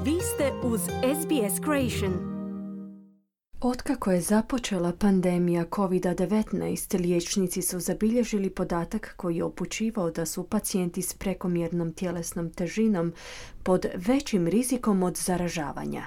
Vi ste uz SBS Creation. Otkako je započela pandemija COVID-19, liječnici su zabilježili podatak koji je upućivao da su pacijenti s prekomjernom tjelesnom težinom pod većim rizikom od zaražavanja.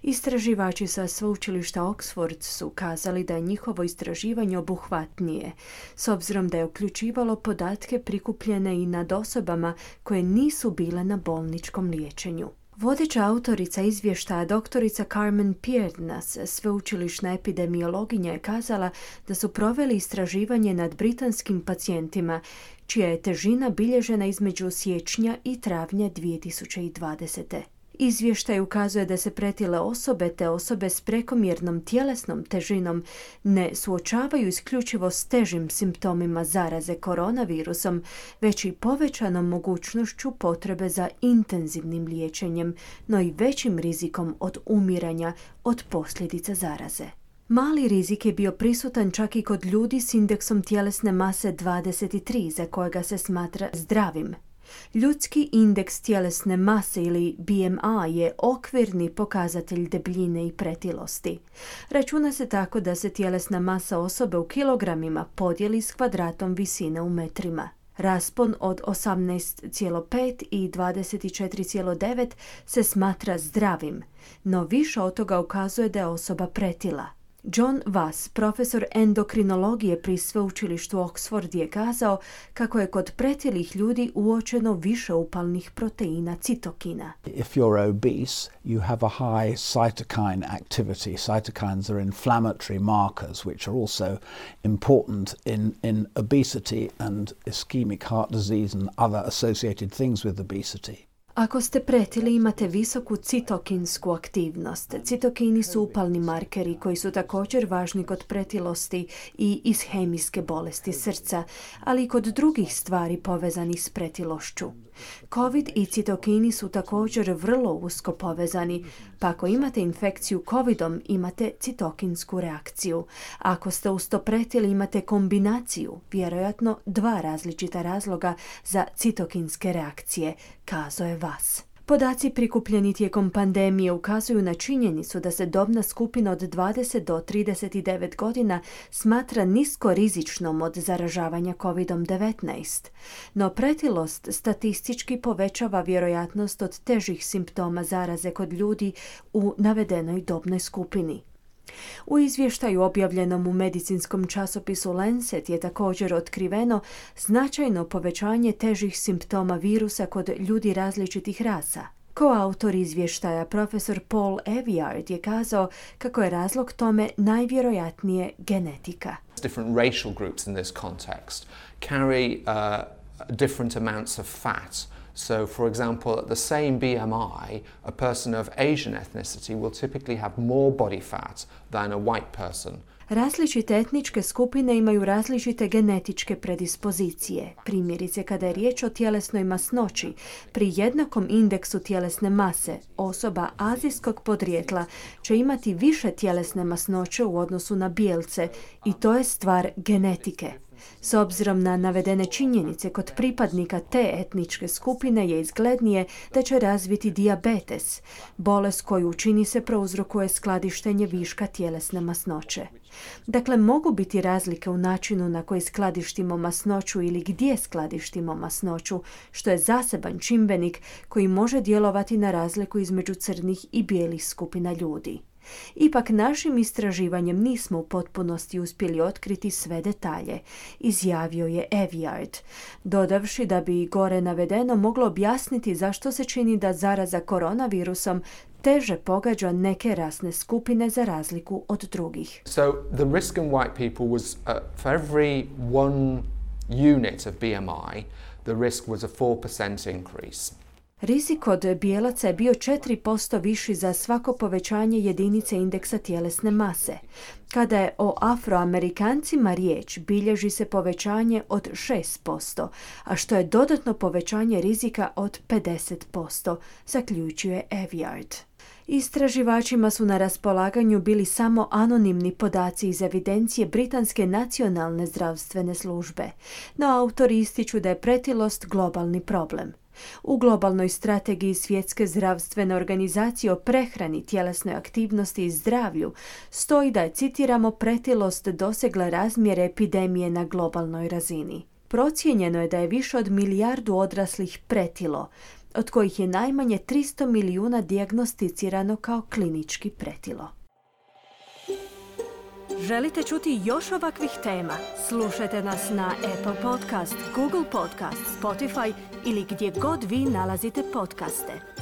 Istraživači sa sveučilišta Oxford su kazali da je njihovo istraživanje obuhvatnije, s obzirom da je uključivalo podatke prikupljene i nad osobama koje nisu bile na bolničkom liječenju. Vodeća autorica izvještaja doktorica Carmen Piernas, sveučilišna epidemiologinja, je kazala da su proveli istraživanje nad britanskim pacijentima, čija je težina bilježena između siječnja i travnja 2020. Izvještaj ukazuje da se pretile osobe te osobe s prekomjernom tjelesnom težinom ne suočavaju isključivo s težim simptomima zaraze koronavirusom, već i povećanom mogućnošću potrebe za intenzivnim liječenjem, no i većim rizikom od umiranja od posljedica zaraze. Mali rizik je bio prisutan čak i kod ljudi s indeksom tjelesne mase 23, za kojega se smatra zdravim. Ljudski indeks tjelesne mase ili BMI je okvirni pokazatelj debljine i pretilosti. Računa se tako da se tjelesna masa osobe u kilogramima podijeli s kvadratom visine u metrima. Raspon od 18,5 i 24,9 se smatra zdravim, no više od toga ukazuje da je osoba pretila. John Vass, profesor endokrinologije pri sveučilištu Oxford, je kazao kako je kod pretilih ljudi uočeno više upalnih proteina citokina. If you're obese, you have a high cytokine activity. Cytokines are inflammatory markers which are also important in obesity and ischemic heart disease and other associated things with obesity. Ako ste pretili, imate visoku citokinsku aktivnost. Citokini su upalni markeri koji su također važni kod pretilosti i ishemijske bolesti srca, ali i kod drugih stvari povezanih s pretilošću. COVID i citokini su također vrlo usko povezani, pa ako imate infekciju COVIDom, imate citokinsku reakciju. Ako ste uz to pretili, imate kombinaciju, vjerojatno dva različita razloga za citokinske reakcije, kazao je Vass. Podaci prikupljeni tijekom pandemije ukazuju na činjenicu da se dobna skupina od 20 do 39 godina smatra nisko rizičnom od zaražavanja COVID-19, no pretilost statistički povećava vjerojatnost od težih simptoma zaraze kod ljudi u navedenoj dobnoj skupini. U izvještaju objavljenom u medicinskom časopisu Lancet je također otkriveno značajno povećanje težih simptoma virusa kod ljudi različitih rasa. Koautor izvještaja, profesor Paul Eviard, je kazao kako je razlog tome najvjerojatnije genetika. Different racial groups in this context carry different amounts of fat. So, for example, at the same BMI, a person of Asian ethnicity will typically have more body fat than a white person. Različite etničke skupine imaju različite genetičke predispozicije. Primjerice, kada je riječ o tjelesnoj masnoći, pri jednakom indeksu tjelesne mase, osoba azijskog podrijetla će imati više tjelesne masnoće u odnosu na bijelce i to je stvar genetike. S obzirom na navedene činjenice, kod pripadnika te etničke skupine je izglednije da će razviti dijabetes, bolest koju čini se prouzrokuje skladištenje viška tjelesne masnoće. Dakle, mogu biti razlike u načinu na koji skladištimo masnoću ili gdje skladištimo masnoću, što je zaseban čimbenik koji može djelovati na razliku između crnih i bijelih skupina ljudi. Ipak našim istraživanjem nismo u potpunosti uspjeli otkriti sve detalje, izjavio je Eviard, dodavši da bi gore navedeno moglo objasniti zašto se čini da zaraza koronavirusom teže pogađa neke rasne skupine za razliku od drugih. So the risk in white people was for every one unit of BMI, the risk was a 4% increase. Rizik od bijelaca je bio 4% viši za svako povećanje jedinice indeksa tjelesne mase. Kada je o Afroamerikancima riječ, bilježi se povećanje od 6%, a što je dodatno povećanje rizika od 50%, zaključuje Eviard. Istraživačima su na raspolaganju bili samo anonimni podaci iz evidencije Britanske nacionalne zdravstvene službe, no autori ističu da je pretilost globalni problem. U globalnoj strategiji Svjetske zdravstvene organizacije o prehrani, tjelesnoj aktivnosti i zdravlju stoji da je, citiramo, pretilost dosegla razmjere epidemije na globalnoj razini. Procijenjeno je da je više od 1 milijardu odraslih pretilo, od kojih je najmanje 300 milijuna dijagnosticirano kao klinički pretilo. Želite čuti još ovakvih tema? Slušajte nas na Apple Podcast, Google Podcast, Spotify ili gdje god vi nalazite podcaste.